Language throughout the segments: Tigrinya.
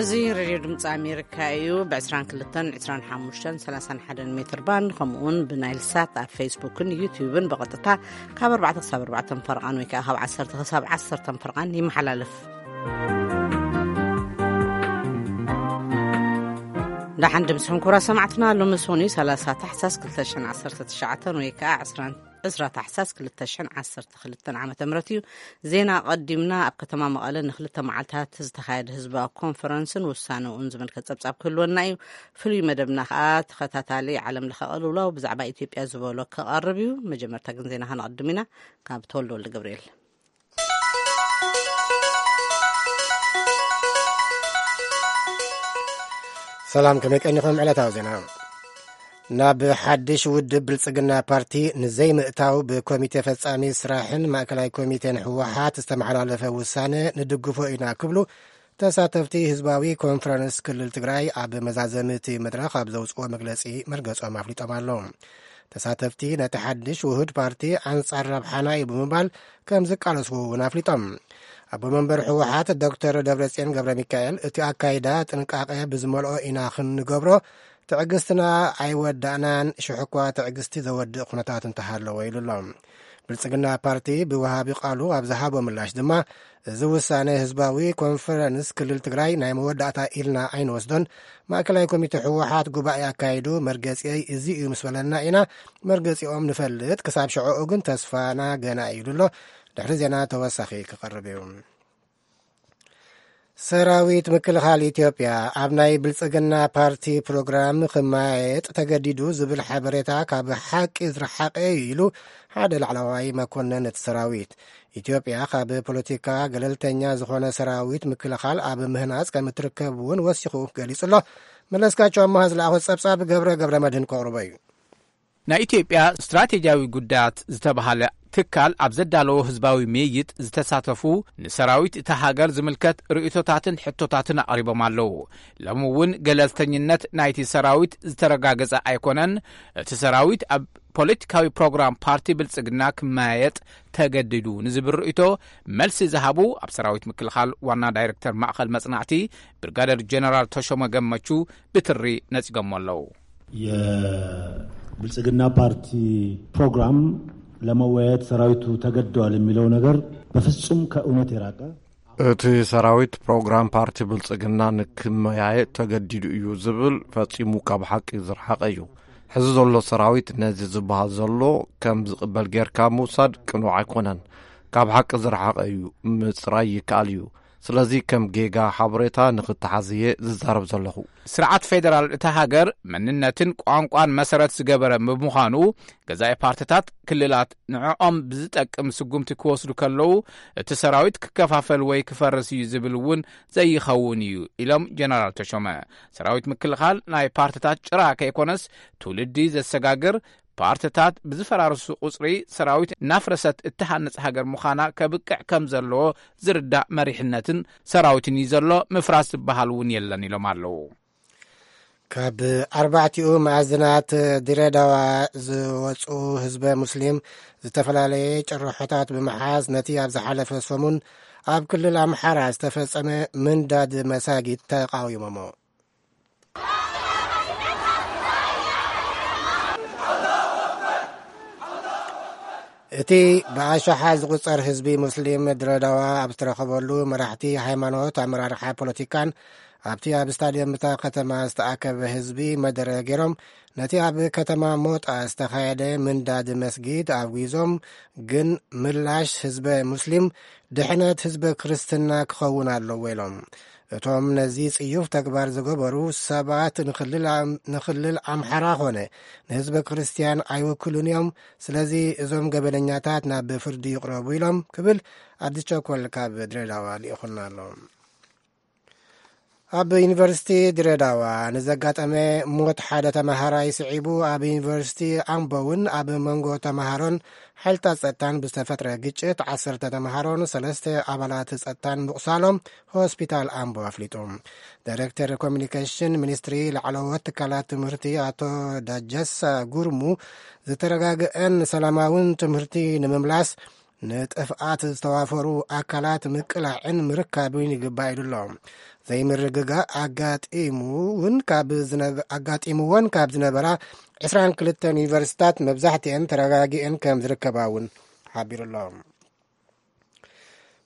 እዚ ሬድዮ ድምፂ ኣሜሪካ እዩ። ብ22፣ 25፣ 31 ሜትር ባንድ፣ ከምኡውን ብናይል ሳት ኣብ ፌስቡክን ዩቲዩብን ብቐጥታ ካብ ኣርባዕተ ክሳብ ኣርባዕተ ፈርቓን ወይ ከዓ ካብ ዓሰርተ ክሳብ ዓሰርተ ፈርቓን ይመሓላለፍ። ደሓን ድምፅኹም ክቡራት ሰማዕትና። ሎሚ ሰኑይ ሰላሳ ታሕሳስ ክልተ ሽሕን ዓሰርተ ትሽዓተን ወይ ከዓ ዕስራን ዕስራ ታሕሳስ ክልተ ሽሕን ዓሰርተ ክልተን ዓመተ ምህረት እዩ። ዜና ኣቐዲምና። ኣብ ከተማ መቐለ ንክልተ መዓልታት ዝተኻየደ ህዝባዊ ኮንፈረንስን ውሳነኡን ዝምልከት ጸብጻብ ክህልወና እዩ። ፍሉይ መደብና ከኣ ተኸታታሊ ዓለም ለኸ ቅልውላው ብዛዕባ ኢትዮጵያ ዝበሎ ክቐርብ እዩ። መጀመርታ ግን ዜና ከነቐድም ኢና። ካብ ተወልደ ወልደ ገብርኤል። ሰላም፣ ከመይ ቀኒኹም? ዕለታዊ ዜና። ናብ ሓድሽ ውድብ ብልጽግና ፓርቲ ንዘይምእታው ብኮሚቴ ፈጻሚ ስራሕን ማእከላይ ኮሚቴን ህወሓት ዝተመሓላለፈ ውሳነ ንድግፎ ኢና ክብሉ ተሳተፍቲ ህዝባዊ ኮንፈረንስ ክልል ትግራይ ኣብ መዛዘሚ እቲ መድረኽ ኣብ ዘውፅኦ መግለፂ መርገጾም ኣፍሊጦም ኣለዉ። ተሳተፍቲ ነቲ ሓድሽ ውሁድ ፓርቲ ኣንጻር ረብሓና እዩ ብምባል ከም ዝቃለስዎ እውን ኣፍሊጦም። ኣቦ መንበር ህወሓት ዶክተር ደብረጽዮን ገብረ ሚካኤል እቲ ኣካይዳ ጥንቃቐ ብዝመልኦ ኢና ክንገብሮ፣ ትዕግስትና ኣይወዳእናን፣ ሽሕኳ ትዕግስቲ ዘወድእ ኩነታት እንተሃለወ ኢሉ ኣሎ። ብልጽግና ፓርቲ ብወሃቢ ቃሉ ኣብ ዝሃቦ ምላሽ ድማ፣ እዚ ውሳነ ህዝባዊ ኮንፈረንስ ክልል ትግራይ ናይ መወዳእታ ኢልና ኣይንወስዶን። ማእከላይ ኮሚቴ ህወሓት ጉባኤ ኣካይዱ መርገጺየይ እዚ እዩ ምስ በለና ኢና መርገጺኦም ንፈልጥ፣ ክሳብ ሽዕኡ ግን ተስፋና ገና እዩ ኢሉ ኣሎ። ድሕሪ ዜና ተወሳኺ ክቐርብ እዩ። ሰራዊት ምክልኻል ኢትዮጵያ ኣብ ናይ ብልጽግና ፓርቲ ፕሮግራም ክመያየጥ ተገዲዱ ዝብል ሓበሬታ ካብ ሓቂ ዝረሓቐ እዩ ኢሉ ሓደ ላዕለዋይ መኮንን እቲ ሰራዊት። ኢትዮጵያ ካብ ፖለቲካ ገለልተኛ ዝኾነ ሰራዊት ምክልኻል ኣብ ምህናጽ ከም እትርከብ እውን ወሲኹ ገሊጹ ኣሎ። መለስካቸው ኣማሃ ዝለኣኾ ጸብጻብ ገብረ ገብረ መድህን ከቕርቦ እዩ። ናይ ኢትዮጵያ ስትራቴጂያዊ ጉዳያት ዝተባሃለ ትካል ኣብ ዘዳለዎ ህዝባዊ ምይይጥ ዝተሳተፉ ንሰራዊት እታ ሃገር ዝምልከት ርእይቶታትን ሕቶታትን ኣቕሪቦም ኣለዉ። ሎሚ እውን ገለልተኝነት ናይቲ ሰራዊት ዝተረጋገጸ ኣይኮነን። እቲ ሰራዊት ኣብ ፖለቲካዊ ፕሮግራም ፓርቲ ብልጽግና ክመያየጥ ተገዲዱ ንዝብል ርእይቶ መልሲ ዝሃቡ ኣብ ሰራዊት ምክልኻል ዋና ዳይሬክተር ማእኸል መጽናዕቲ ብርጋደር ጀነራል ተሾመ ገመቹ ብትሪ ነጺጎሞ ኣለዉ። የብልጽግና ፓርቲ ፕሮግራም ለመወያየት ሰራዊቱ ተገደዋል የሚለው ነገር በፍጹም ከእውነት የራቀ። እቲ ሰራዊት ፕሮግራም ፓርቲ ብልጽግና ንክመያየጥ ተገዲዱ እዩ ዝብል ፈጺሙ ካብ ሓቂ ዝረሓቐ እዩ። ሕዚ ዘሎ ሰራዊት ነዚ ዝበሃል ዘሎ ከም ዝቕበል ጌርካ ምውሳድ ቅኑዕ ኣይኮነን። ካብ ሓቂ ዝረሓቐ እዩ ምጽራይ ይከኣል እዩ። ስለዚ ከም ጌጋ ሓበሬታ ንኽተሓዝ እየ ዝዛረብ ዘለኹ። ስርዓት ፌደራል እታ ሃገር መንነትን ቋንቋን መሰረት ዝገበረ ብምዃኑ ገዛኢ ፓርትታት ክልላት ንዕኦም ብዝጠቅም ስጉምቲ ክወስዱ ከለዉ እቲ ሰራዊት ክከፋፈል ወይ ክፈርስ እዩ ዝብል እውን ዘይኸውን እዩ ኢሎም ጀነራል ተሾመ። ሰራዊት ምክልኻል ናይ ፓርትታት ጭራ ከይኮነስ ትውልዲ ዘሰጋግር ፓርትታት ብዝፈራርሱ ቁፅሪ ሰራዊት እናፍረሰት እትሃንፅ ሃገር ምዃና ከብቅዕ ከም ዘለዎ ዝርዳእ መሪሕነትን ሰራዊትን እዩ ዘሎ። ምፍራስ ዝበሃል እውን የለን ኢሎም ኣለዉ። ካብ ኣርባዕቲኡ መኣዝናት ድሬዳዋ ዝወፁ ህዝበ ሙስሊም ዝተፈላለየ ጭርሖታት ብምሓዝ ነቲ ኣብ ዝሓለፈ ሰሙን ኣብ ክልል ኣምሓራ ዝተፈጸመ ምንዳድ መሳጊድ ተቃዊሞሞ። እቲ ብኣሽሓት ዝቑጸር ህዝቢ ሙስሊም ድሬዳዋ ኣብ ዝተረኸበሉ፣ መራሕቲ ሃይማኖት፣ ኣመራርሓ ፖለቲካን ኣብቲ ኣብ ስታድየም እታ ከተማ ዝተኣከበ ህዝቢ መደረ ገይሮም፣ ነቲ ኣብ ከተማ ሞጣ ዝተኻየደ ምንዳድ መስጊድ ኣውጊዞም። ግን ምላሽ ህዝበ ሙስሊም ድሕነት ህዝበ ክርስትና ክኸውን ኣለዎ ኢሎም። እቶም ነዚ ጽዩፍ ተግባር ዝገበሩ ሰባት ንኽልል ኣም-፣ ንኽልል ኣምሓራ ኾነ ንህዝበ ክርስትያን ኣይውክሉን እዮም። ስለዚ እዞም ገበነኛታት ናብ ፍርዲ ይቕረቡ ኢሎም ክብል ኣዲስ ቸኮል ካብ ድሬዳዋ ልኢኹልና ኣሎ። ኣብ ዩኒቨርሲቲ ድሬዳዋ ንዘጋጠመ ሞት ሓደ ተመሃራይ ስዒቡ፣ ኣብ ዩኒቨርሲቲ ኣምቦ እውን ኣብ መንጎ ተመሃሮን ሓይልታት ጸጥታን ብዝተፈጥረ ግጭት ዓሰርተ ተመሃሮን ሰለስተ ኣባላት ጸጥታን ምቑሳሎም ሆስፒታል ኣምቦ ኣፍሊጡ። ዳይሬክተር ኮሚኒኬሽን ሚኒስትሪ ላዕለዎት ትካላት ትምህርቲ ኣቶ ዳጀሳ ጉርሙ፣ ዝተረጋግአን ሰላማውን ትምህርቲ ንምምላስ ንጥፍኣት ዝተዋፈሩ ኣካላት ምቅላዕን ምርካብን ይግባእ ኢሉ ኣሎ። ዘይምርግጋእ ኣጋጢሙ እውን ካብ ዝነበ-፣ ኣጋጢምወን ካብ ዝነበራ ዕስራን ክልተን ዩኒቨርሲታት መብዛሕትአን ተረጋጊአን ከም ዝርከባ እውን ሓቢሩ ኣሎ።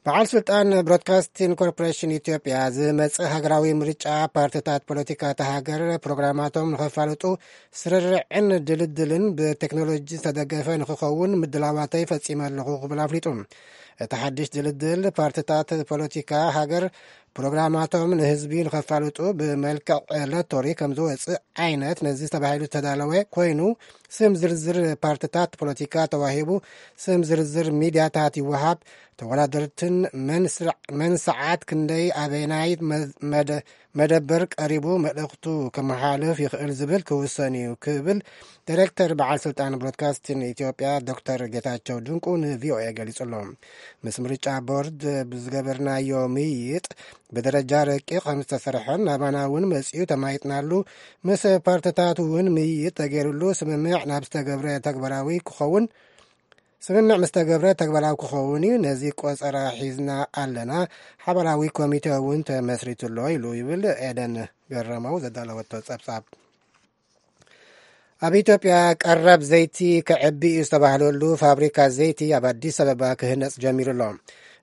በዓል ስልጣን ብሮድካስቲንግ ኮርፖሬሽን ኢትዮጵያ ዝመጽእ ሃገራዊ ምርጫ ፓርቲታት ፖለቲካ እታ ሃገር ፕሮግራማቶም ንኸፋልጡ ስርርዕን ድልድልን ብቴክኖሎጂ ዝተደገፈ ንኽኸውን ምድላዋተይ ፈጺመ ኣለኹ ክብል ኣፍሊጡ። እቲ ሓድሽ ድልድል ፓርቲታት ፖለቲካ ሃገር ፕሮግራማቶም ንህዝቢ ንኸፋልጡ ብመልክዕ ሎቶሪ ከም ዝወፅእ ዓይነት ነዚ ተባሂሉ ዝተዳለወ ኮይኑ፣ ስም ዝርዝር ፓርቲታት ፖለቲካ ተዋሂቡ፣ ስም ዝርዝር ሚድያታት ይወሃብ፣ ተወዳደርትን መን ስርዕ-፣ መን ሰዓት ክንደይ ኣበይናይ መ-፣ መደ-፣ መደበር ቀሪቡ መልእኽቱ ከመሓልፍ ይኽእል ዝብል ክውሰን እዩ ክብል ዳይሬክተር በዓል ስልጣን ብሮድካስቲንግ ኢትዮጵያ ዶክተር ጌታቸው ድንቁ ንቪኦኤ ገሊጹ ኣሎ። ምስ ምርጫ ቦርድ ብዝገበርናዮ ምይይጥ ብደረጃ ረቂቕ ከም ዝተሰርሐን ናባና እውን መጺኡ ተማይጥናሉ፣ ምስ ፓርቲታት እውን ምይይጥ ተገይሩሉ ስምምዕ ናብ ዝተገብረ ተግባራዊ ክኸውን፣ ስምምዕ ምስ ተገብረ ተግባራዊ ክኸውን እዩ። ነዚ ቆጸራ ሒዝና ኣለና። ሓባራዊ ኮሚቴ እውን ተመስሪቱ ኣሎ ኢሉ ይብል ኤደን ገረመው ዘዳለወቶ ጸብጻብ። ኣብ ኢትዮጵያ ቀረብ ዘይቲ ክዕቢ እዩ ዝተባህለሉ ፋብሪካ ዘይቲ ኣብ ኣዲስ ኣበባ ክህነጽ ጀሚሩ ኣሎ።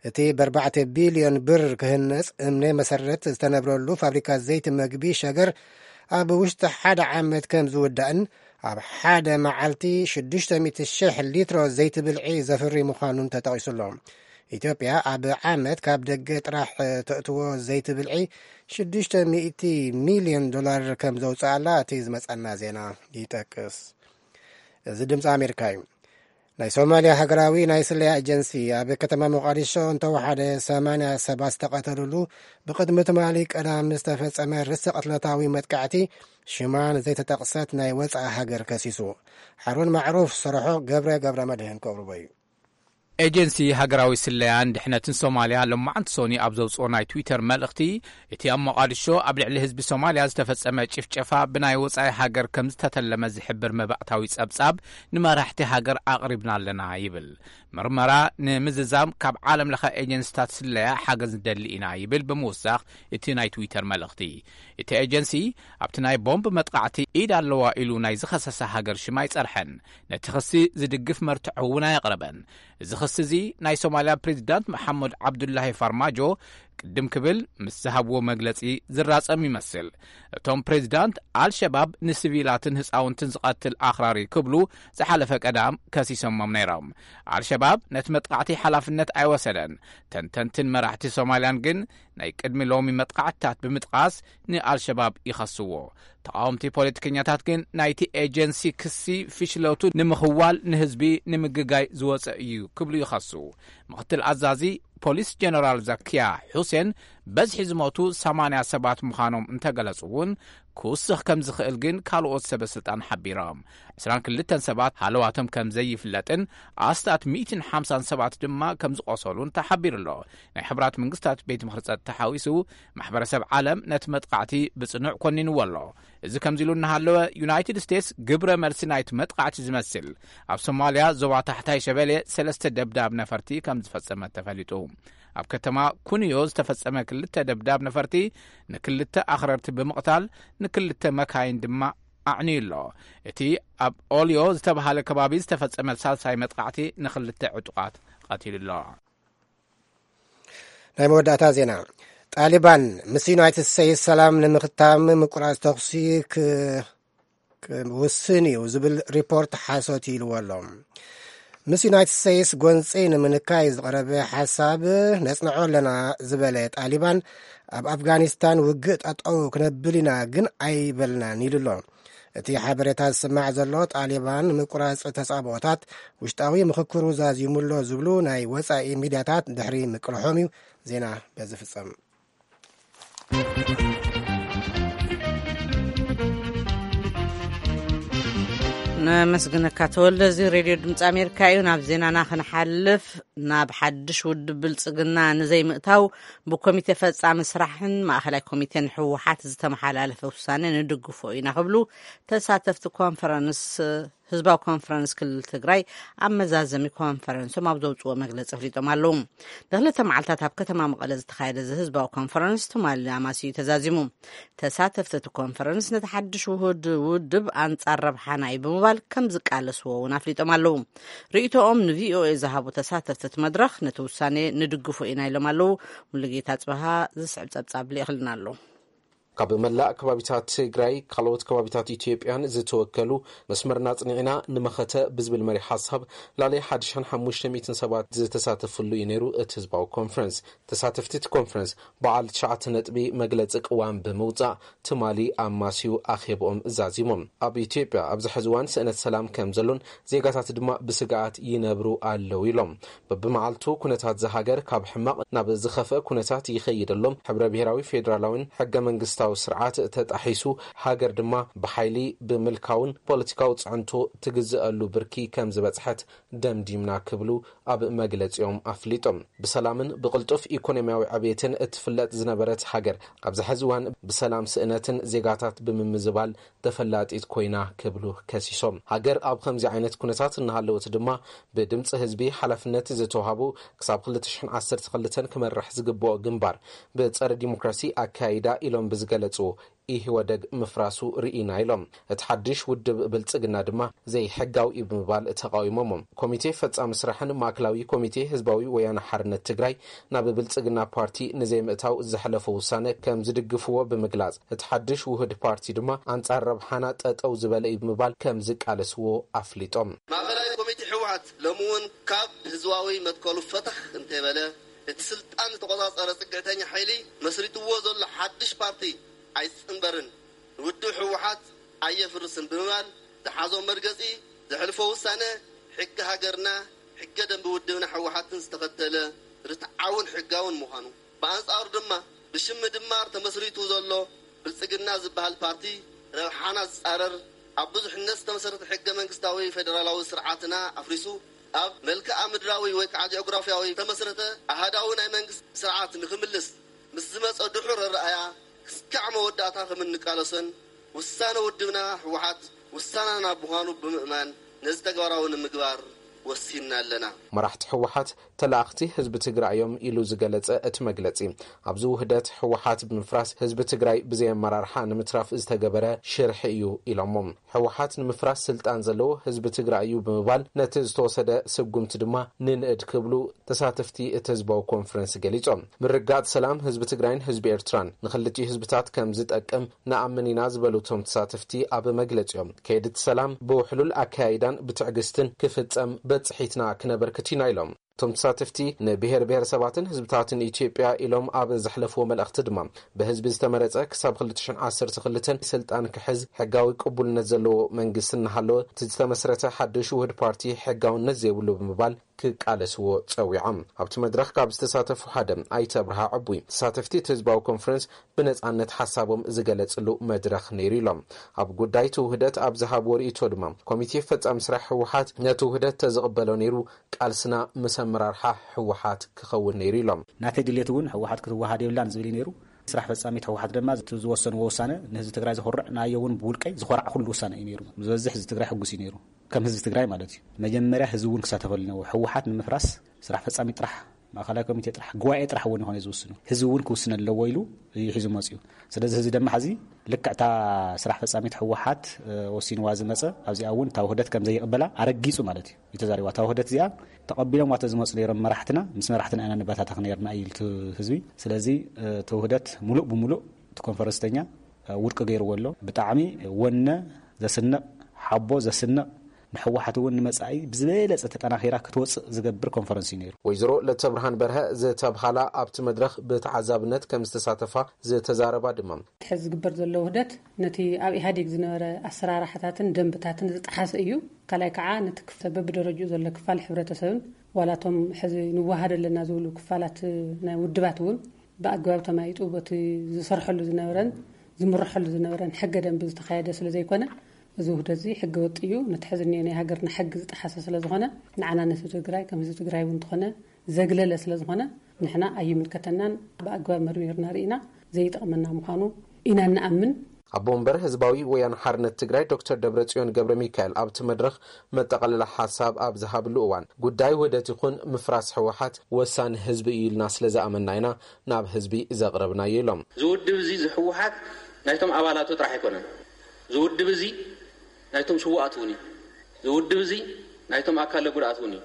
እቲ ብኣርባዕተ ቢልዮን ብር ክህነጽ እምነ መሰረት ዝተነብረሉ ፋብሪካ ዘይቲ መግቢ ሸገር ኣብ ውሽጢ ሓደ ዓመት ከም ዝውዳእን ኣብ ሓደ መዓልቲ ሽዱሽተ ሚእቲ ሺሕ ሊትሮ ዘይቲ ብልዒ ዘፍሪ ምዃኑን ተጠቒሱ ኣሎ። ኢትዮጵያ ኣብ ዓመት ካብ ደገ ጥራሕ ተእትዎ ዘይቲ ብልዒ ሽዱሽተ ሚእቲ ሚልዮን ዶላር ከም ዘውፅኣላ እቲ ዝመፀና ዜና ይጠቅስ። እዚ ድምፂ ኣሜሪካ እዩ። ናይ ሶማልያ ሃገራዊ ናይ ስለያ ኤጀንሲ ኣብ ከተማ ሞቃዲሾ እንተወሓደ ሰማንያ ሰባት ዝተቐተሉሉ ብቕድሚ ትማሊ ቀዳም ዝተፈጸመ ርእሰ ቅትለታዊ መጥቃዕቲ ሽማ ንዘይተጠቕሰት ናይ ወጻኢ ሃገር ከሲሱ። ሓሩን ማዕሩፍ ዝሰርሖ ገብረ ገብረ መድህን ከቕርቦ እዩ። ኤጀንሲ ሃገራዊ ስለያን ድሕነትን ሶማልያ ሎማዓንቲ ሶኒ ኣብ ዘውፅኦ ናይ ትዊተር መልእኽቲ፣ እቲ ኣብ ሞቓዲሾ ኣብ ልዕሊ ህዝቢ ሶማልያ ዝተፈጸመ ጭፍጨፋ ብናይ ወጻኢ ሃገር ከም ዝተተለመ ዝሕብር መባእታዊ ጸብጻብ ንመራሕቲ ሃገር ኣቕሪብና ኣለና ይብል። ምርመራ ንምዝዛም ካብ ዓለም ለኸ ኤጀንስታት ስለያ ሓገዝ ንደሊ ኢና ይብል ብምውሳኽ እቲ ናይ ትዊተር መልእኽቲ። እቲ ኤጀንሲ ኣብቲ ናይ ቦምብ መጥቃዕቲ ኢድ ኣለዋ ኢሉ ናይ ዝኸሰሰ ሃገር ሽም ኣይጸርሐን። ነቲ ክሲ ዝድግፍ መርትዖ እውን ኣየቕረበን። እዚ ክሲ እዚ ናይ ሶማልያ ፕሬዚዳንት መሓመድ ዓብዱላሂ ፋርማጆ ቅድም ክብል ምስ ዝሃብዎ መግለጺ ዝራጸም ይመስል። እቶም ፕሬዚዳንት ኣልሸባብ ንሲቪላትን ህፃውንትን ዝቐትል ኣኽራሪ ክብሉ ዝሓለፈ ቀዳም ከሲሶሞም ነይሮም። ኣልሸባብ ነቲ መጥቃዕቲ ሓላፍነት ኣይወሰደን። ተንተንትን መራሕቲ ሶማልያን ግን ናይ ቅድሚ ሎሚ መጥቃዕትታት ብምጥቓስ ንኣልሸባብ ይኸስዎ። ተቓወምቲ ፖለቲከኛታት ግን ናይቲ ኤጀንሲ ክሲ ፍሽለቱ ንምኽዋል ንህዝቢ ንምግጋይ ዝወፀ እዩ ክብሉ ይኸሱ። ምኽትል ኣዛዚ ፖሊስ ጀነራል ዛኪያ ሑሴን በዝሒ ዝሞቱ ሰማንያ ሰባት ምዃኖም እንተገለጹ እውን ክውስኽ ከም ዝኽእል ግን ካልኦት ሰበ ስልጣን ሓቢሮም። ዕስራን ክልተን ሰባት ሃለዋቶም ከም ዘይፍለጥን ኣስታት ሚእትን ሓምሳን ሰባት ድማ ከም ዝቖሰሉን ተሓቢሩ ኣሎ። ናይ ሕቡራት መንግስታት ቤት ምኽሪ ጸጥታ ሓዊሱ ማሕበረሰብ ዓለም ነቲ መጥቃዕቲ ብጽኑዕ ኮኒንዎ ኣሎ። እዚ ከምዚ ኢሉ እናሃለወ ዩናይትድ ስቴትስ ግብረ መልሲ ናይቲ መጥቃዕቲ ዝመስል ኣብ ሶማልያ ዞባ ታሕታይ ሸበሌ ሰለስተ ደብዳብ ነፈርቲ ከም ዝፈጸመት ተፈሊጡ። ኣብ ከተማ ኩንዮ ዝተፈጸመ ክልተ ደብዳብ ነፈርቲ ንክልተ ኣኽረርቲ ብምቕታል ንክልተ መካይን ድማ ኣዕንዩ ኣሎ። እቲ ኣብ ኦልዮ ዝተባሃለ ከባቢ ዝተፈጸመ ሳልሳይ መጥቃዕቲ ንክልተ ዕጡቓት ቀቲሉ ኣሎ። ናይ መወዳእታ ዜና። ጣሊባን ምስ ዩናይትድ ስቴትስ ሰላም ንምኽታም ምቁራጽ ተኹሲ ክ-፣ ክውስን እዩ ዝብል ሪፖርት ሓሶት ኢልዎ ኣሎ። ምስ ዩናይትድ ስቴትስ ጎንፂ ንምንካይ ዝቐረበ ሓሳብ ነጽንዖ ኣለና ዝበለ ጣሊባን፣ ኣብ ኣፍጋኒስታን ውግእ ጠጠው ክነብል ኢና ግን ኣይበልናን ኢሉ ኣሎ። እቲ ሓበሬታ ዝስማዕ ዘሎ ጣሊባን ምቁራጽ ተጻብኦታት ውሽጣዊ ምኽክሩ ዛዚሙ ኣሎ ዝብሉ ናይ ወጻኢ ሚድያታት ድሕሪ ምቅልሖም እዩ። ዜና በዚ ፍጸም። ነመስግነካ ተወልደ። እዚ ሬድዮ ድምፂ ኣሜሪካ እዩ። ናብ ዜናና ክንሓልፍ፣ ናብ ሓድሽ ውድብ ብልፅግና ንዘይምእታው ብኮሚቴ ፈጻሚ ስራሕን ማእኸላይ ኮሚቴን ህወሓት ዝተመሓላለፈ ውሳነ ንድግፎ ኢና ክብሉ ተሳተፍቲ ኮንፈረንስ ህዝባዊ ኮንፈረንስ ክልል ትግራይ ኣብ መዛዘሚ ኮንፈረንሶም ኣብ ዘውፅዎ መግለፂ ኣፍሊጦም ኣለዉ። ንክልተ መዓልታት ኣብ ከተማ መቐለ ዝተኻየደ እዚ ህዝባዊ ኮንፈረንስ ትማሊ ኣማስዩ ተዛዚሙ። ተሳተፍቲ እቲ ኮንፈረንስ ነቲ ሓድሽ ውሁድ ውድብ ኣንጻር ረብሓና እዩ ብምባል ከም ዝቃለስዎ እውን ኣፍሊጦም ኣለዉ። ርእይቶኦም ንቪኦኤ ዝሃቡ ተሳተፍቲ እቲ መድረኽ ነቲ ውሳኔ ንድግፎ ኢና ኢሎም ኣለዉ። ሙሉጌታ ጽበሃ ዝስዕብ ጸብጻብ ልኢኽልና ኣሎ። ካብ መላእ ከባቢታት ትግራይ፣ ካልኦት ከባቢታት ኢትዮጵያን ዝተወከሉ መስመርና ጽኒዕና ንመኸተ ብዝብል መሪ ሓሳብ ላዕሊ ሓደ ሺሕን ሓሙሽተ ሚእትን ሰባት ዝተሳተፍሉ እዩ ነይሩ እቲ ህዝባዊ ኮንፈረንስ። ተሳተፍቲ እቲ ኮንፈረንስ በዓል ትሽዓተ ነጥቢ መግለጺ ቅዋም ብምውጻእ ትማሊ ኣማስዩ ኣኼብኦም ዛዚሞም። ኣብ ኢትዮጵያ ኣብዚ ሕዚ እዋን ስእነት ሰላም ከም ዘሎን ዜጋታት ድማ ብስግኣት ይነብሩ ኣለዉ ኢሎም። በብመዓልቱ ኩነታት እዛ ሃገር ካብ ሕማቕ ናብ ዝኸፍአ ኩነታት ይኸይድ ኣሎ። ሕብረ ብሔራዊ ፌዴራላዊን ሕገ መንግስታዊ ስርዓት ተጣሒሱ፣ ሃገር ድማ ብሓይሊ ብምልካውን ፖለቲካዊ ጽዕንቶ ትግዝአሉ ብርኪ ከም ዝበጽሐት ደምዲምና ክብሉ ኣብ መግለጺኦም ኣፍሊጦም። ብሰላምን ብቕልጡፍ ኢኮኖሚያዊ ዕብየትን እትፍለጥ ዝነበረት ሃገር ኣብዚ ሕዚ እዋን ብሰላም ስእነትን ዜጋታት ብምምዝባል ተፈላጢት ኮይና ክብሉ ከሲሶም። ሃገር ኣብ ከምዚ ዓይነት ኩነታት እናሃለወት ድማ ብድምፂ ህዝቢ ሓላፍነት ዝተዋሃቡ ክሳብ ክልተ ሽሕን ዓሰርተ ክልተን ክመርሕ ዝግብኦ ግንባር ብፀረ ዲሞክራሲ ኣካይዳ ኢሎም ብዝገለፁ ኢህወደግ ምፍራሱ ርኢና ኢሎም። እቲ ሓድሽ ውድብ ብልፅግና ድማ ዘይሕጋዊ እዩ ብምባል ተቃዊሞሞ። ኮሚቴ ፈፃሚ ስራሕን ማእከላዊ ኮሚቴ ህዝባዊ ወያነ ሓርነት ትግራይ ናብ ብልፅግና ፓርቲ ንዘይምእታው ዘሕለፎ ውሳነ ከም ዝድግፍዎ ብምግላፅ፣ እቲ ሓድሽ ውህድ ፓርቲ ድማ ኣንፃር ረብሓና ጠጠው ዝበለ እዩ ብምባል ከም ዝቃለስዎ ኣፍሊጦም። ማእከላይ ኮሚቴ ህወሓት ሎሚ እውን ካብ ህዝባዊ መትከሉ ፈተኽ እንተይበለ፣ እቲ ስልጣን ዝተቆፃፀረ ፅግዕተኛ ሓይሊ መስሪትዎ ዘሎ ሓድሽ ፓርቲ ኣይፅንበርን፣ ንውድብ ህወሓት ኣየፍርስን ብምባል ዝሓዞ መርገፂ፣ ዘሕልፎ ውሳነ ሕጊ ሃገርና፣ ሕገ ደንቢ ውድብና ህወሓትን ዝተኸተለ ርትዓውን ሕጋውን ምዃኑ፣ ብኣንፃሩ ድማ ብሽም ምድማር ተመስሪቱ ዘሎ ብልፅግና ዝበሃል ፓርቲ ረብሓና ዝፃረር፣ ኣብ ብዙሕነት ዝተመሰረተ ሕገ መንግስታዊ ፌደራላዊ ስርዓትና ኣፍሪሱ፣ ኣብ መልክዓ ምድራዊ ወይ ከዓ ጂኦግራፊያዊ ዝተመስረተ ኣሃዳዊ ናይ መንግስቲ ስርዓት ንክምልስ ምስ ዝመፀ ድሑር ኣረኣእያ ክስካዕ መወዳእታ ከም እንቃለሶን፣ ውሳነ ውድብና ህወሓት ውሳነና ምዃኑ ብምእማን ነዚ ተግባራዊ ንምግባር ወሲንና ኣለና። መራሕቲ ህወሓት ተላእኽቲ ህዝቢ ትግራይ እዮም ኢሉ ዝገለጸ እቲ መግለጺ፣ ኣብዚ ውህደት ህወሓት ብምፍራስ ህዝቢ ትግራይ ብዘይ ኣመራርሓ ንምትራፍ ዝተገበረ ሽርሒ እዩ ኢሎሞ። ህወሓት ንምፍራስ ስልጣን ዘለዎ ህዝቢ ትግራይ እዩ ብምባል፣ ነቲ ዝተወሰደ ስጉምቲ ድማ ንንእድ ክብሉ ተሳተፍቲ እቲ ህዝባዊ ኮንፈረንስ ገሊጾም። ምርግጋጽ ሰላም ህዝቢ ትግራይን ህዝቢ ኤርትራን ንኽልቲኡ ህዝብታት ከም ዝጠቅም ንኣምን ኢና ዝበሉ እቶም ተሳተፍቲ ኣብ መግለጺኦም፣ ከይዲ እቲ ሰላም ብውሕሉል ኣካያይዳን ብትዕግስትን ክፍጸም በጽሒትና ክነበርክት ኢና ኢሎም። እቶም ተሳተፍቲ ንብሔር ብሔረሰባትን ህዝብታትን ኢትዮጵያ ኢሎም ኣብ ዘሕለፍዎ መልእኽቲ ድማ፣ ብህዝቢ ዝተመረጸ ክሳብ ክልተ ሽሕን ዓሰርተ ክልተን ስልጣን ክሕዝ ሕጋዊ ቅቡልነት ዘለዎ መንግስቲ እናሃለወ፣ እቲ ዝተመስረተ ሓድሽ ውህድ ፓርቲ ሕጋውነት ዘይብሉ ብምባል ክቃለስዎ ጸዊዖም። ኣብቲ መድረኽ ካብ ዝተሳተፉ ሓደ ኣይተ ኣብርሃ ዕቡይ፣ ተሳተፍቲ እቲ ህዝባዊ ኮንፈረንስ ብነጻነት ሓሳቦም ዝገለጽሉ መድረኽ ነይሩ ኢሎም። ኣብ ጉዳይ እቲ ውህደት ኣብ ዝሃብዎ ርእይቶ ድማ፣ ኮሚቴ ፈጻሚ ስራሕ ህወሓት ነቲ ውህደት ተዝቕበሎ ነይሩ፣ ቃልስና ምስ ኣመራርሓ ህወሓት ክኸውን ነይሩ ኢሎም። ናተይ ድሌት እውን ህወሓት ክትወሃድ የብላን ዝብል እዩ ነይሩ። ስራሕ ፈጻሚት ህወሓት ድማ እቲ ዝወሰንዎ ውሳነ ንህዝቢ ትግራይ ዘኹርዕ፣ ንኣየ እውን ብውልቀይ ዝኾርዓኹሉ ውሳነ እዩ ነይሩ። ዝበዝሕ ህዝቢ ትግራይ ሕጉስ እዩ ነይሩ። ከም ህዝቢ ትግራይ ማለት እዩ። መጀመርያ ህዝቢ እውን ክሳተፈሉ ነዎ። ህወሓት ንምፍራስ ስራሕ ፈጻሚ ጥራሕ፣ ማእኸላይ ኮሚቴ ጥራሕ፣ ጉባኤ ጥራሕ እውን ይኾነ ዝውስኑ። ህዝቢ እውን ክውስን ኣለዎ ኢሉ እዩ ሒዙ መፅዩ። ስለዚ ህዝቢ ድማ ሕዚ ልክዕ እታ ስራሕ ፈጻሚት ህወሓት፣ እ፣ ወሲንዋ ዝመፀ፣ ኣብዚኣ እውን እታ ውህደት ከም ዘይቕበላ ኣረጊጹ ማለት እዩ፣ እዩ ተዛሪባ። እታ ውህደት እዚኣ ተቐቢሎም ዋተ ዝመፁ ነይሮም መራሕትና፣ ምስ መራሕትና ኢና ንበታተኽ ነይርና እዩ ኢሉ እቲ ህዝቢ። ስለዚ፣ እ፣ እቲ ውህደት ሙሉእ ብሙሉእ እቲ ኮንፈረንስተኛ፣ እ፣ ውድቂ ገይርዎ ኣሎ። ብጣዕሚ ወነ ዘስንቕ፣ ሓቦ ዘስንቕ፣ ንህወሓት እውን ንመጻኢ ብዝበለጸ ተጠናኺራ ክትወጽእ ዝገብር ኮንፈረንስ እዩ ነይሩ። ወይዘሮ ለተብርሃን በርሀ ዝተብሃላ ኣብቲ መድረኽ ብተዓዛብነት ከም ዝተሳተፋ ዝተዛረባ ድማ፣ ሕዚ ዝግበር ዘሎ ውህደት ነቲ ኣብ ኢህኣዴግ ዝነበረ ኣሰራርሓታትን ደንብታትን ዝጠሓሰ እዩ። ካልኣይ ከዓ ነቲ ክፍ-፣ በብደረጅኡ ዘሎ ክፋል ሕብረተሰብን ዋላቶም ሕዚ ንወሃድ ኣለና ዝብሉ ክፋላት ናይ ውድባት እውን ብኣግባብ ተማይጡ በቲ ዝሰርሐሉ ዝነበረን ዝምርሐሉ ዝነበረን ሕገ ደንቢ ዝተኻየደ ስለ ዘይኮነ፣ እዚ ውህደት እዚ ሕገ ወጥ እዩ። ነቲ ሕዚ እኒኦ ናይ ሃገርና ሕጊ ዝጠሓሰ ስለ ዝኾነ፣ ንዓና ነቲ ትግራይ ከም ህዝቢ ትግራይ እውን እንተኾነ ዘግለለ ስለ ዝኾነ፣ ንሕና ኣይምልከተናን፣ ብኣግባብ መርሚርና ርኢና ዘይጠቕመና ምዃኑ ኢና እንኣምን። ኣቦ ወንበር ህዝባዊ ወያነ ሓርነት ትግራይ ዶክተር ደብረጽዮን ገብረ ሚካኤል ኣብቲ መድረኽ መጠቓለሊ ሓሳብ ኣብ ዝሃብሉ እዋን፣ ጉዳይ ውህደት ይኹን ምፍራስ ህወሓት ወሳኒ ህዝቢ እዩ ኢልና ስለ ዝኣመንና ኢና ናብ ህዝቢ ዘቕረብናዮ ኢሎም። እዚ ውድብ እዚ፣ እዚ ህወሓት ናይቶም ኣባላቱ ጥራሕ ኣይኮነን። እዚ ውድብ እዚ ናይቶም ስውኣት እውን እዩ። እዚ ውድብ እዚ ናይቶም ኣካለ ጉድኣት እውን እዩ።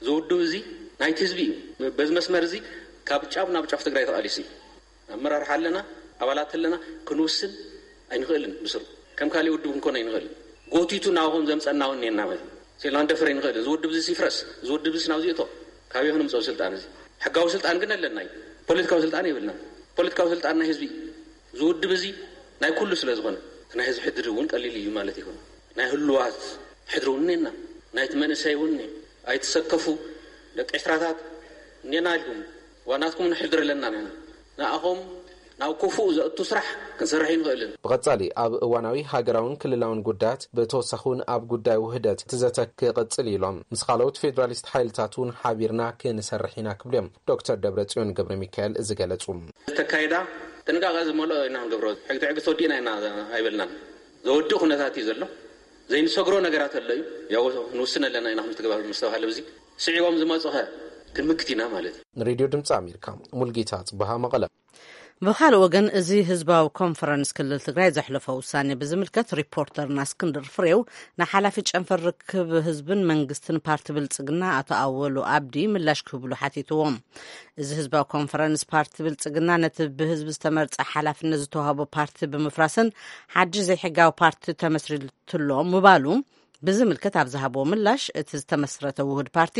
እዚ ውድብ እዚ ናይቲ ህዝቢ እዩ። በዚ መስመር እዚ ካብ ጫፍ ናብ ጫፍ ትግራይ ተቓሊሱ እዩ። ኣመራርሓ ኣለና፣ ኣባላት ኣለና፣ ክንውስን ኣይንኽእልን። ብስሩ ከም ካሊእ ውድብ ክንኮን ኣይንኽእልን። ጎቲቱ ናብኹም ዘምፀና እውን እኒአና ማለት እዩ። ስኢልና ክንደፍር ኣይንኽእልን። እዚ ውድብ እዚ ይፍረስ፣ እዚ ውድብ እዚ ናብዚ እቶ፣ ካበይ ክንምፅኦ ስልጣን እዚ? ሕጋዊ ስልጣን ግን ኣለና እዩ። ፖለቲካዊ ስልጣን የብልና። ፖለቲካዊ ስልጣን ናይ ህዝቢ እዩ። እዚ ውድብ እዚ ናይ ኩሉ ስለ ዝኾነ፣ እቲ ናይ ህዝቢ ሕድሪ እውን ቀሊል እዩ ማለት ይኹን። ናይ ህሉዋት ሕድሪ እውን እኒአና፣ ናይቲ መንእሰይ እውን እኒአ። ኣይትሰከፉ ደቂ ዕስራታት እኒአና ኢልኩም፣ ዋናትኩም ንሕድር ኣለና ንሕና። ንኣኹም ናብ ክፉእ ዘእቱ ስራሕ ክንሰርሕ ኣይንኽእልን። ብቐጻሊ ኣብ እዋናዊ ሃገራውን ክልላውን ጉዳያት፣ ብተወሳኺ እውን ኣብ ጉዳይ ውህደት እቲ ዘተ ክቕጽል ኢሎም፣ ምስ ካልኦት ፌዴራሊስት ሓይልታት እውን ሓቢርና ክንሰርሕ ኢና ክብሉ እዮም ዶክተር ደብረጽዮን ገብረ ሚካኤል ዝገለጹ። ዝተካየዳ ጥንቃቐ ዝመልኦ ኢና ክንገብሮ። ሕግቲ ሕግቲ ወዲእና ኢና ኣይበልናን። ዘወድእ ኩነታት እዩ ዘሎ። ዘይንሰግሮ ነገራት ኣሎ እዩ። ያው ንውስን ኣለና ኢና፣ ከምቲ ግባር ምስተባሃለ፣ ብዚ ስዒቦም ዝመጹኸ ክንምክት ኢና ማለት እዩ። ንሬድዮ ድምፂ ኣሜሪካ፣ ሙልጌታ ጽበሃ፣ መቐለ። ብኻልእ ወገን፣ እዚ ህዝባዊ ኮንፈረንስ ክልል ትግራይ ዘሕለፎ ውሳኔ ብዝምልከት፣ ሪፖርተርና እስክንድር ፍሬው ንሓላፊ ጨንፈር ርክብ ህዝብን መንግስትን ፓርቲ ብልጽግና ኣቶ ኣወሉ ኣብዲ ምላሽ ክህብሉ ሓቲትዎም። እዚ ህዝባዊ ኮንፈረንስ፣ ፓርቲ ብልጽግና ነቲ ብህዝቢ ዝተመርጸ ሓላፍነት ዝተዋህቦ ፓርቲ ብምፍራስን ሓድሽ ዘይሕጋዊ ፓርቲ ተመስሪትሎ ምባሉ ብዝምልከት ኣብ ዝሃብዎ ምላሽ፣ እቲ ዝተመስረተ ውሁድ ፓርቲ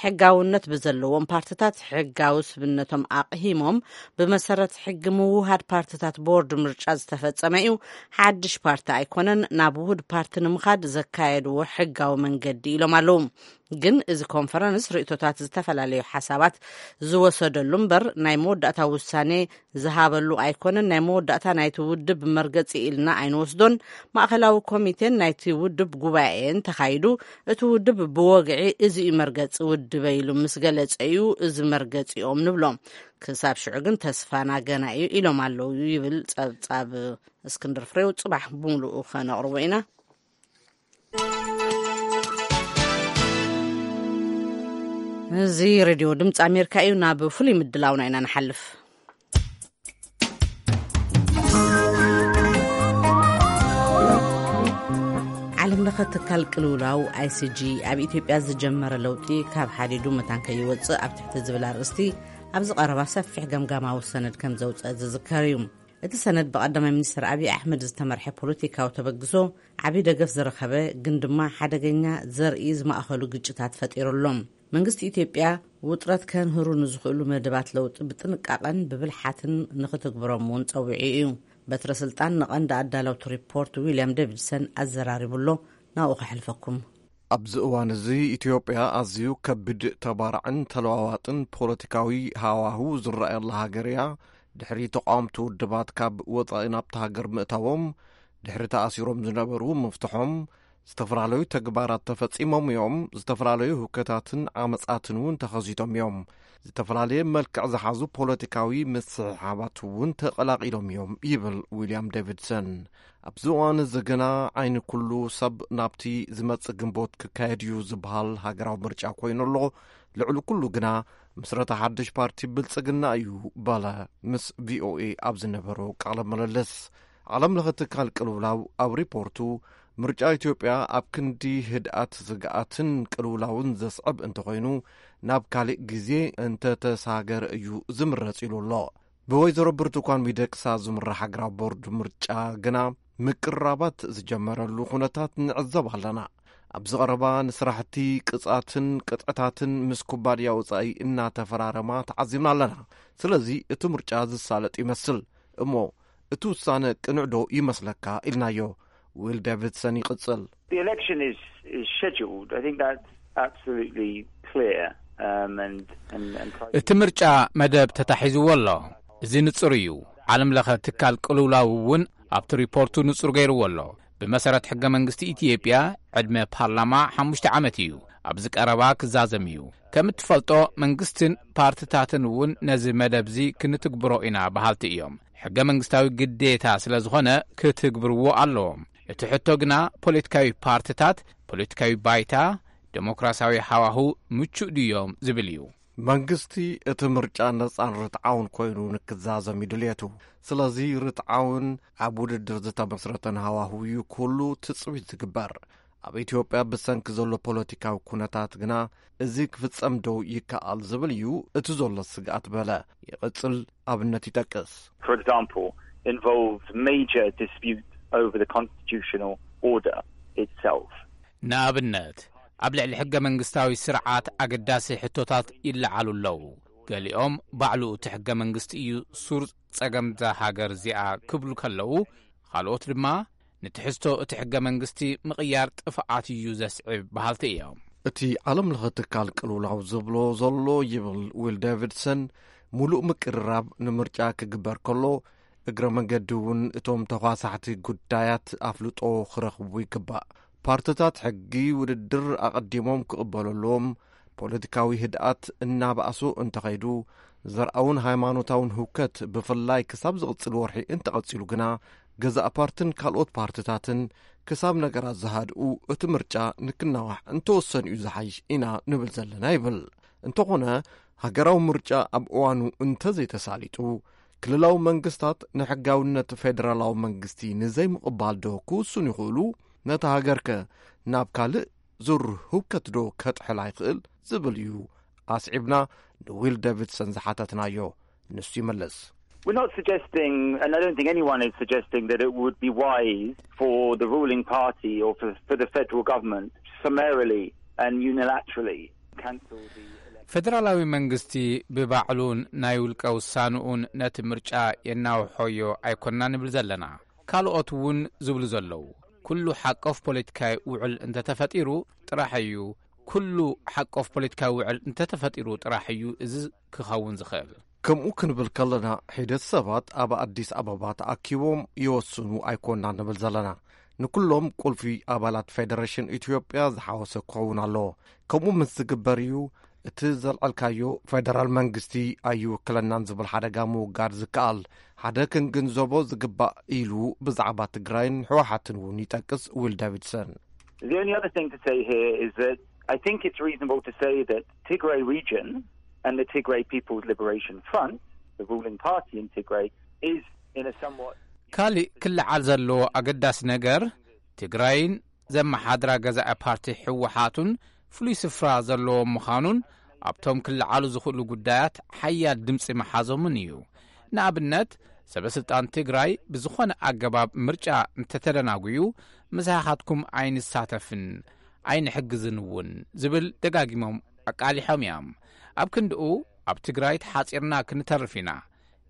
ሕጋውነት ብዘለዎም ፓርትታት ሕጋዊ ስብነቶም ኣቕሂሞም፣ ብመሰረት ሕጊ ምውሃድ ፓርትታት ቦርድ ምርጫ ዝተፈጸመ እዩ። ሓድሽ ፓርቲ ኣይኮነን ናብ ውሁድ ፓርቲ ንምኻድ ዘካየድዎ ሕጋዊ መንገዲ ኢሎም ኣለዉ። ግን እዚ ኮንፈረንስ ርእቶታት፣ ዝተፈላለዩ ሓሳባት ዝወሰደሉ እምበር፣ ናይ መወዳእታ ውሳኔ ዝሃበሉ ኣይኮነን። ናይ መወዳእታ ናይቲ ውድብ መርገጺ ኢልና ኣይንወስዶን። ማእኸላዊ ኮሚቴን ናይቲ ውድብ ጉባኤን ተኻይዱ፣ እቲ ውድብ ብወግዒ እዚ እዩ መርገጺ ውድበ ኢሉ ምስ ገለጸ እዩ እዚ መርገጺኦም ንብሎ። ክሳብ ሽዑ ግን ተስፋና ገና እዩ ኢሎም ኣለዉ ይብል ጸብጻብ እስክንድር ፍሬው። ጽባሕ ብምሉኡ ከነቕርቦ ኢና። እዚ ሬድዮ ድምፂ ኣሜሪካ እዩ። ናብ ፍሉይ ምድላውና ኢና ንሓልፍ። ዓለም ለኸ ትካል ቅልውላው ኣይሲጂ ኣብ ኢትዮጵያ ዝጀመረ ለውጢ ካብ ሓዲዱ መታን ከይወፅእ ኣብ ትሕቲ ዝብል ኣርእስቲ ኣብዚ ቀረባ ሰፊሕ ገምጋማዊ ሰነድ ከም ዘውፅአ ዝዝከር እዩ። እቲ ሰነድ ብቀዳማይ ሚኒስትር ኣብይ ኣሕመድ ዝተመርሐ ፖለቲካዊ ተበግሶ ዓብዪ ደገፍ ዝረኸበ፣ ግን ድማ ሓደገኛ ዘርኢ ዝማእኸሉ ግጭታት ፈጢሩ ኣሎ። መንግስቲ ኢትዮጵያ ውጥረት ከንህሩ ንዝኽእሉ መደባት ለውጢ ብጥንቃቐን ብብልሓትን ንኽትግብሮም እውን ጸዊዑ እዩ። በትረ ስልጣን ንቐንዲ ኣዳለውቲ ሪፖርት ዊልያም ዴቪድሰን ኣዘራሪቡ ኣሎ። ናብኡ ከሕልፈኩም። ኣብዚ እዋን እዚ ኢትዮጵያ ኣዝዩ ከቢድ ተባራዕን ተለዋዋጥን ፖለቲካዊ ሃዋሁ ዝረኣየላ ሃገር እያ። ድሕሪ ተቓወምቲ ውድባት ካብ ወጻኢ ናብታ ሃገር ምእታዎም፣ ድሕሪ ተኣሲሮም ዝነበሩ ምፍትሖም፣ ዝተፈላለዩ ተግባራት ተፈጺሞም እዮም። ዝተፈላለዩ ህውከታትን ዓመጻትን እውን ተኸሲቶም እዮም። ዝተፈላለየ መልክዕ ዝሓዙ ፖለቲካዊ ምስሕሓባት እውን ተቐላቒሎም እዮም ይብል ዊልያም ዴቪድሰን። ኣብዚ እዋን እዚ ግና ዓይኒ ኩሉ ሰብ ናብቲ ዝመጽእ ግንቦት ክካየድ እዩ ዝበሃል ሃገራዊ ምርጫ ኮይኑ ኣሎ። ልዕሊ ኩሉ ግና ምስረታ ሓድሽ ፓርቲ ብልጽግና እዩ በለ ምስ ቪኦኤ ኣብ ዝነበሮ ቃለ ምልልስ። ዓለም ለኸ ትካል ቅልውላው ኣብ ሪፖርቱ፣ ምርጫ ኢትዮጵያ ኣብ ክንዲ ህድኣት ስግኣትን ቅልውላውን ዘስዕብ እንተኾይኑ፣ ናብ ካልእ ግዜ እንተተሳገረ እዩ ዝምረጽ ኢሉ ኣሎ። ብወይዘሮ ብርቱኳን ሚደቅሳ ዝምራሕ ሃገራዊ ቦርድ ምርጫ ግና ምቅርራባት ዝጀመረሉ ኩነታት ንዕዘብ ኣለና። ኣብዚ ቀረባ ንስራሕቲ ቅጻትን ቅጥዕታትን ምስ ኩባንያ ወጻኢ እናተፈራረማ ተዓዚብና ኣለና። ስለዚ እቲ ምርጫ ዝሳለጥ ይመስል። እሞ እቲ ውሳነ ቅኑዕ ዶ ይመስለካ? ኢልናዮ። ዊል ዴቪድሰን ይቕጽል። The election is, is scheduled. I think that's absolutely clear. Um, and, and, and pro- እቲ ምርጫ መደብ ተታሒዝዎ ኣሎ። እዚ ንጹር እዩ። ዓለም ለኸ ትካል ቅልውላው እውን ኣብቲ ሪፖርቱ ንጹር ገይርዎ ኣሎ። ብመሰረት ሕገ መንግስቲ ኢትዮጵያ፣ ዕድመ ፓርላማ ሓሙሽተ ዓመት እዩ። ኣብዚ ቀረባ ክዛዘም እዩ። ከም እትፈልጦ፣ መንግስትን ፓርትታትን እውን ነዚ መደብዚ ክንትግብሮ ኢና በሃልቲ እዮም። ሕገ መንግስታዊ ግዴታ ስለ ዝኾነ ክትግብርዎ ኣለዎም። እቲ ሕቶ ግና ፖለቲካዊ ፓርትታት፣ ፖለቲካዊ ባይታ፣ ዴሞክራሲያዊ ሃዋሁ ምቹእ ድዮም ዝብል እዩ። መንግስቲ እቲ ምርጫ ነጻን ርትዓውን ኮይኑ ንክዛዘም እዩ ድልየቱ። ስለዚ ርትዓውን ኣብ ውድድር ዝተመስረተን ሃዋሁ እዩ ኩሉ ትጽቢት ዝግበር። ኣብ ኢትዮጵያ ብሰንኪ ዘሎ ፖለቲካዊ ኩነታት ግና እዚ ክፍጸም ዶ ይከኣል ዝብል እዩ እቲ ዘሎ ስግኣት በለ። ይቕጽል ኣብነት ይጠቅስ። For example, involves major dispute over the constitutional order itself. ንኣብነት ኣብ ልዕሊ ሕገ መንግስታዊ ስርዓት ኣገዳሲ ሕቶታት ይለዓሉ ኣለዉ። ገሊኦም ባዕሉ እቲ ሕገ መንግስቲ እዩ ሱር ጸገምዛ ሃገር እዚኣ ክብሉ ከለዉ፣ ካልኦት ድማ ንትሕዝቶ እቲ ሕገ መንግስቲ ምቕያር ጥፍኣት እዩ ዘስዕብ በሃልቲ እዮም። እቲ ዓለም ለኸ ትካል ቅልውላው ዝብሎ ዘሎ ይብል ዊል ዴቪድሰን፣ ሙሉእ ምቅርራብ ንምርጫ ክግበር ከሎ እግረ መንገዲ እውን እቶም ተኳሳሕቲ ጉዳያት ኣፍልጦ ክረኽቡ ይግባእ። ፓርትታት ሕጊ ውድድር ኣቐዲሞም ክቕበሉ ኣለዎም። ፖለቲካዊ ህድኣት እናባእሱ እንተኸይዱ፣ ዘርኣውን ሃይማኖታውን ህውከት ብፍላይ ክሳብ ዝቕጽል ወርሒ እንተቐጺሉ ግና፣ ገዛእ ፓርትን ካልኦት ፓርትታትን ክሳብ ነገራት ዝሃድኡ እቲ ምርጫ ንክናዋሕ እንተወሰኑ እዩ ዝሓይሽ ኢና ንብል ዘለና ይብል። እንተኾነ፣ ሃገራዊ ምርጫ ኣብ እዋኑ እንተዘይተሳሊጡ፣ ክልላዊ መንግስታት ንሕጋውነት ፌደራላዊ መንግስቲ ንዘይምቕባል ዶ ክውስኑ ይኽእሉ? ነታ ሃገርከ ናብ ካልእ ዙር ህውከት ዶ ከጥሕላ ይኽእል ዝብል እዩ ኣስዒብና ንዊል ዴቪድሰን ዝሓተትናዮ። ንሱ ይመልስ። We're not suggesting, and I don't think anyone is suggesting, that it would be wise for the ruling party or for, for the federal government to summarily and unilaterally cancel the election. ፌደራላዊ መንግስቲ ብባዕሉን ናይ ውልቀ ውሳንኡን ነቲ ምርጫ የናውሖዮ ኣይኮንና ንብል ዘለና። ካልኦት እውን ዝብሉ ዘለዉ፣ ኩሉ ሓቆፍ ፖለቲካዊ ውዕል እንተተፈጢሩ ጥራሕ እዩ፣ ኩሉ ሓቆፍ ፖለቲካዊ ውዕል እንተተፈጢሩ ጥራሕ እዩ እዚ ክኸውን ዝኽእል። ከምኡ ክንብል ከለና፣ ሒደት ሰባት ኣብ ኣዲስ ኣበባ ተኣኪቦም ይወስኑ ኣይኮንና ንብል ዘለና። ንኩሎም ቁልፊ ኣባላት ፌደሬሽን ኢትዮጵያ ዝሓወሰ ክኸውን ኣለዎ። ከምኡ ምስ ዝግበር እዩ እቲ ዘልዐልካዮ ፌደራል መንግስቲ ኣይውክለናን ዝብል ሓደጋ ምውጋድ ዝከኣል። ሓደ ክንግንዘቦ ዝግባእ ኢሉ ብዛዕባ ትግራይን ህወሓትን እውን ይጠቅስ ዊል ዳቪድሰን። The only other thing to say here is that I think it's reasonable to say that Tigray region and the Tigray People's Liberation Front, the ruling party in Tigray, is in a somewhat ካሊእ ክለዓል ዘለዎ ኣገዳሲ ነገር፣ ትግራይን ዘመሓድራ ገዛኢ ፓርቲ ህወሓቱን ፍሉይ ስፍራ ዘለዎም ምዃኑን ኣብቶም ክለዓሉ ዝኽእሉ ጉዳያት ሓያል ድምፂ ምሓዞምን እዩ። ንኣብነት፣ ሰበ ስልጣን ትግራይ ብዝኾነ ኣገባብ ምርጫ እንተተደናጉዩ፣ ምሳኻትኩም ኣይንሳተፍን ኣይንሕግዝን እውን ዝብል ደጋጊሞም ኣቃሊሖም እዮም። ኣብ ክንድኡ፣ ኣብ ትግራይ ተሓፂርና ክንተርፍ ኢና፣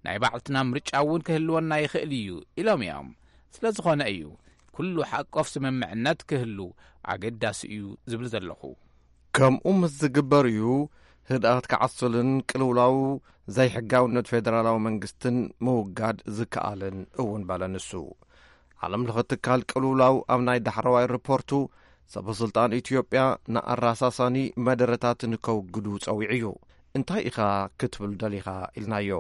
ናይ ባዕልትና ምርጫ እውን ክህልወና ይኽእል እዩ ኢሎም እዮም። ስለ ዝኾነ እዩ ኩሉ ሓቆፍ ስምምዕነት ክህሉ ኣገዳሲ እዩ ዝብል ዘለኹ። ከምኡ ምስ ዝግበር እዩ ህድኣት ክዓስልን ቅልውላው ዘይሕጋውነት ፌደራላዊ መንግስትን ምውጋድ ዝከኣልን እውን በለ ንሱ። ዓለም ለኸ ትካል ቅልውላው ኣብ ናይ ዳሕረዋይ ሪፖርቱ ሰበ ስልጣን ኢትዮጵያ ንኣራሳሳኒ መደረታት ንከውግዱ ጸዊዑ እዩ። እንታይ ኢኻ ክትብል ደሊኻ ኢልናዮ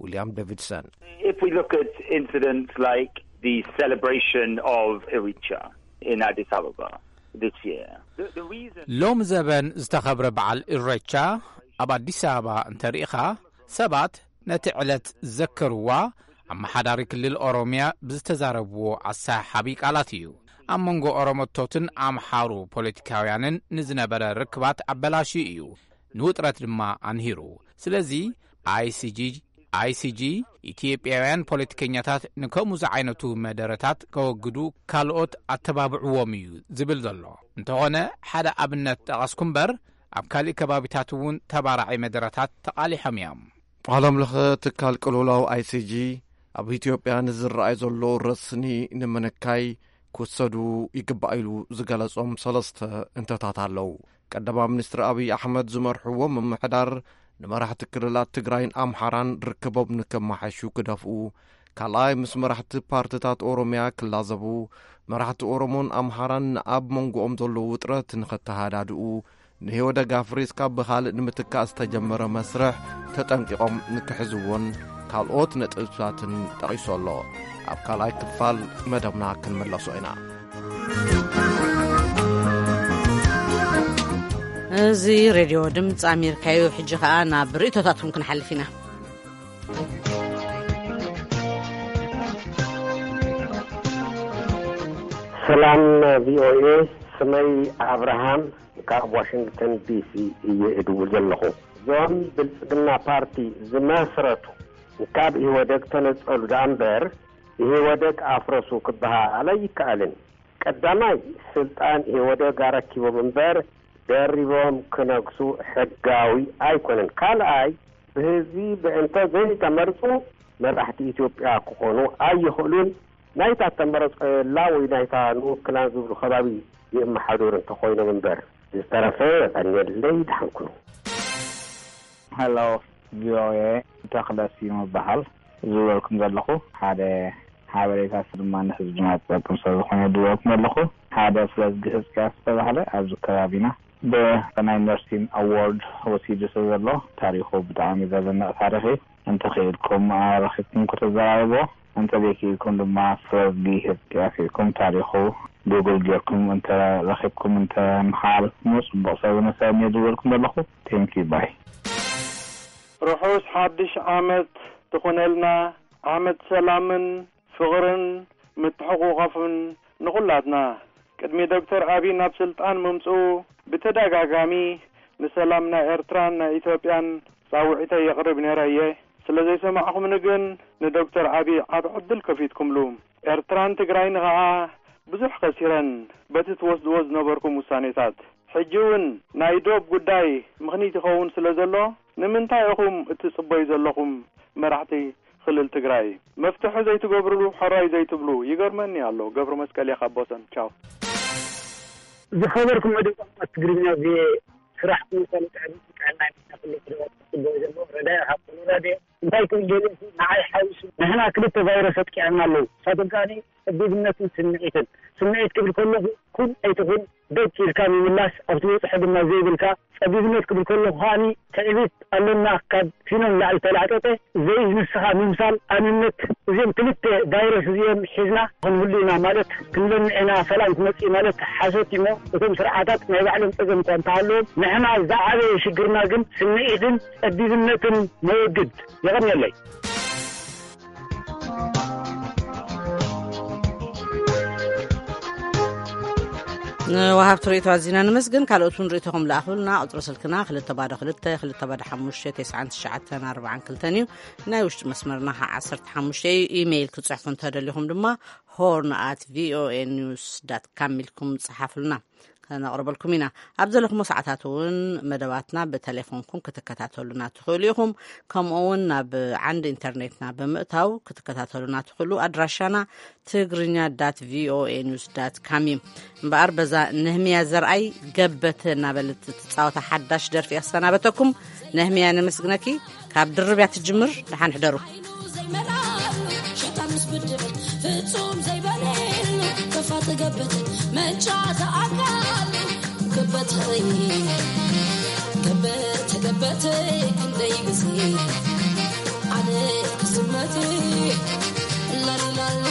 ዊልያም ዴቪድሰን። If we look at incidents like the celebration of Iricha in Addis Ababa this year, the, the reason ሎም ዘበን ዝተኸብረ በዓል ኢሬቻ ኣብ ኣዲስ ኣበባ እንተርኢኻ፣ ሰባት ነቲ ዕለት ዘከርዋ ኣመሓዳሪ ክልል ኦሮምያ ብዝተዛረብዎ ኣሰሓሓቢ ቃላት እዩ። ኣብ መንጎ ኦሮሞቶትን ኣምሓሩ ፖለቲካውያንን ንዝነበረ ርክባት ኣበላሽዩ እዩ፣ ንውጥረት ድማ ኣንሂሩ። ስለዚ ኣይሲጂ ኣይሲጂ ኢትዮጵያውያን ፖለቲከኛታት ንከምኡ ዝዓይነቱ መደረታት ከወግዱ ካልኦት ኣተባብዕዎም እዩ ዝብል ዘሎ። እንተኾነ ሓደ ኣብነት ጠቐስኩ እምበር፣ ኣብ ካሊእ ከባቢታት እውን ተባራዒ መደረታት ተቓሊሖም እዮም። ዓለም ለኸ ትካል ቅልውላው ኣይሲጂ ኣብ ኢትዮጵያ ንዝረኣይ ዘሎ ረስኒ ንምንካይ ክወሰዱ ይግባእ ኢሉ ዝገለጾም ሰለስተ እንተታት ኣለዉ። ቀዳማይ ሚኒስትር ኣብይ ኣሕመድ ዝመርሕዎ ምምሕዳር ንመራሕቲ ክልላት ትግራይን ኣምሓራን ርክቦም ንከመሓሹ ክደፍኡ፣ ካልኣይ ምስ መራሕቲ ፓርትታት ኦሮምያ ክላዘቡ፣ መራሕቲ ኦሮሞን ኣምሓራን ንኣብ መንጎኦም ዘሎ ውጥረት ንኸተሃዳድኡ፣ ንህይወት ደጋፍሪስ ካብ ብኻልእ ንምትካእ ዝተጀመረ መስርሕ ተጠንቂቖም ንክሕዝዎን ካልኦት ነጥብታትን ጠቒሱ ኣሎ። ኣብ ካልኣይ ክፋል መደብና ክንምለሶ ኢና። እዚ ሬድዮ ድምፂ ኣሜሪካ እዩ። ሕጂ ኸኣ ናብ ርእይቶታትኩም ክንሓልፍ ኢና። ሰላም ቪኦኤ፣ ስመይ ኣብርሃም ካብ ዋሽንግተን ዲሲ እየ እድውል ዘለኹ። እዞም ብልጽግና ፓርቲ ዝመስረቱ ካብ ኢህወደግ ተነጸሉ ደኣ እምበር፣ ኢህወደግ ኣፍረሱ ክበሃል ኣይከኣልን። ቀዳማይ፣ ስልጣን ኢህወደግ ኣረኪቦም እምበር፣ ደሪቦም ክነግሱ ሕጋዊ ኣይኮነን። ካልኣይ፣ ብህዝቢ ብእንተ ዘይተመርጹ መራሕቲ ኢትዮጵያ ክኾኑ ኣይኽእሉን። ናይታ ተመረጸላ ወይ ናይታ ንውክላን ዝብሉ ከባቢ የመሓድሩ እንተኾይኖም እምበር። ዝተረፈ የቐንየለይ፣ ደሓን ኩኑ። ሄሎ፣ ቪኦኤ፣ ተኽለ ስዩም እበሃል። ዝብለልኩም ዘለኹ ሓደ ሓበሬታ ድማ ንህዝብና ዝጠቅም ስለ ዝኾነ ዝብለልኩም ዘለኹ። ሓደ ፍለዝጊ ህዝቅያስ ዝተባህለ ኣብዚ ከባቢና ብናይ ነርሲን ኣዋርድ ወሲዱ ስለ ዘሎ ታሪኹ ብጣዕሚ ዘደንቕ ታሪኽ እዩ። እንተኽኢልኩም ኣረኺብኩም ክትዘራረቦ፣ እንተዘይክኢልኩም ድማ ፍለዝጊ ህዝቅያስ ኢልኩም ታሪኹ ጉግል ጌርኩም እንተረኺብኩም እንተመሓላልፍኩሞ ጽቡቕ ሰብ ንሰብ እየ ዝብለልኩም ዘለኹ። ቴንኪዩ ባይ። ርሑስ ሓድሽ ዓመት ትኹነልና፣ ዓመት ሰላምን ፍቕርን ምትሕቑቓፍን ንኹላትና። ቅድሚ ዶክተር ኣቢይ ናብ ስልጣን ምምጽኡ ብተደጋጋሚ ንሰላም ናይ ኤርትራን ናይ ኢትዮጵያን ጻውዒተይ የቕርብ ነይረ እየ። ስለ ዘይሰማዕኹምኒ ግን ንዶክተር ኣቢይ ዓቢ ዕድል ከፊትኩምሉ። ኤርትራን ትግራይን ኸኣ ብዙሕ ከሲረን በቲ ትወስድዎ ዝነበርኩም ውሳኔታት። ሕጂ እውን ናይ ዶብ ጉዳይ ምኽኒት ይኸውን ስለ ዘሎ፣ ንምንታይ ኢኹም እትጽበዩ ዘለኹም መራሕቲ ክልል ትግራይ? መፍትሒ ዘይትገብርሉ፣ ሕራይ ዘይትብሉ፣ ይገርመኒ ኣሎ። ገብረ መስቀል እየ ካብ ቦሰን። ቻው። ዝኸበርኩም መደብ ቋንቋ ትግርኛ ቪኦኤ፣ ስራሕኩም ይኹን ጥዕና ናይ ኩሉ ክልላት ክጽበዩ ዘለዎ ረዳኢ ካብ ኩሉ ረድዮ። እንታይ ክብል ደልየ፣ ንዓይ ሓዊሱ ንሕና ክልተ ቫይረስ ኣጥቂዐና ኣለዉ። ንሳቶም ከኣ ጸቢብነትን ስምዒትን። ስምዒት ክብል ከለኹ ኩን ኣይትኹን ደግ ኢልካ ምምላስ፣ ኣብ ትበጽሖ ድማ ዘይብልካ። ጸቢብነት ክብል ከለኹ ከኣ ትዕቢት ኣሎና፣ ካብ ፊኖ ንላዕሊ ተላዕጠጠ። ዘይንስኻ ምምሳል፣ ኣንነት። እዚኦም ክልተ ቫይረስ እዚኦም ሒዝና ክንህሉ ኢና ማለት፣ ክንለምዕ ኢና፣ ሰላም ክመጽእ ማለት ሓሶት እዩሞ፣ እቶም ስርዓታት ናይ ባዕሎም ጸገም እኳ እንተሃለዎም፣ ንሕና ዝዓበየ ሽግርና ግን ስምዒትን ጸቢብነትን መወግድ። የቐንየለይ። ንወሃብቲ ርእይቶ ኣዚና ንመስግን። ካልኦት እውን ርእይቶኹም ለኣኹልና። ቁጽሪ ስልክና ክልተ ባዶ ክልተ፣ ክልተ ባዶ ሓሙሽተ፣ ተስዓን ትሽዓተን ኣርባዓን ክልተን እዩ። ናይ ውሽጢ መስመርና ኸዓ ዓሰርተ ሓሙሽተ እዩ። ኢሜይል ክጽሕፉ እንተደሊኹም ድማ ሆርን ኣት ቪኦኤ ኒውስ ዳት ካም ኢልኩም ጸሓፉልና። ከነቕርበልኩም ኢና። ኣብ ዘለኹሞ ሰዓታት እውን መደባትና ብቴሌፎንኩም ክትከታተሉና ትኽእሉ ኢኹም። ከምኡ እውን ናብ ዓንዲ ኢንተርኔትና ብምእታው ክትከታተሉና ትኽእሉ። ኣድራሻና ትግርኛ ዳት ቪኦኤ ኒውስ ዳት ካም እዩ። እምበኣር በዛ ነህምያ ዘርኣይ ገበተ እናበለት ትጻወታ ሓዳሽ ደርፊ እየ ክሰናበተኩም። ነህምያ ነመስግነኪ። ካብ ድርብ እያ ትጅምር። ደሓን ሕደሩ። ዘይመላሉ ሸጣን ምስ ብድዕ ፍጹም ዘይበለሉ ከፋ ትገብት መንጫ ተኣካሉ ገበተይ ገበተ ገበተይ ክንደይ ግዜ ኣነ ክስመት ላሊላሊ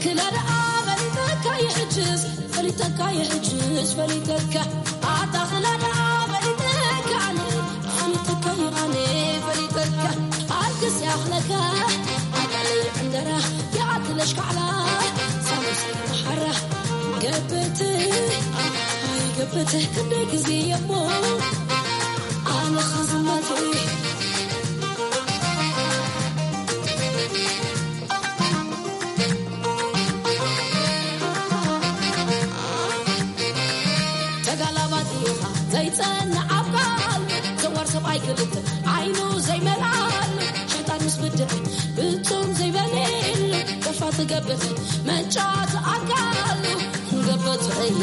ክላል ኣበልተካ ይሕጅዝ ፈሊተካ ይሕጅዝ ፈሊተካ ኣታ ክላል ኣበልተካ ኣነ ፈሊተካ ኣነ ፈሊተካ ኣልክስ ያኽለካ ኣቃል ዕንደራ ያትለሽ ካዕላ ሳሙስ ሓራ ገብት ኣይገብት ክንደይ ግዜ እሞ ኣነ ክዝመት ተጋላባት ኢኻ ዘይጸንዕ ኣብ ቃል ዘዋር ሰብኣይ ክልተ ዓይኑ ዘይመልኣሉ ሸጣን ምስ ብድዕ ብጹም ዘይበልየሉ ከፋ ትገብር መንጫ ትኣካሉ ገበተይ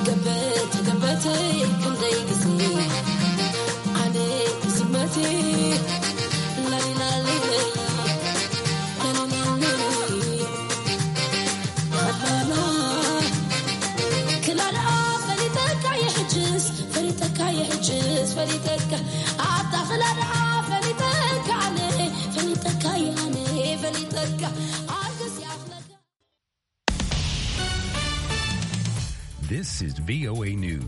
ገበተ ገበተይ ክንደይ ግዜ ኣነ ዝመቴ ላሊላሊለይ ላሊላሊለይ This is V O A News.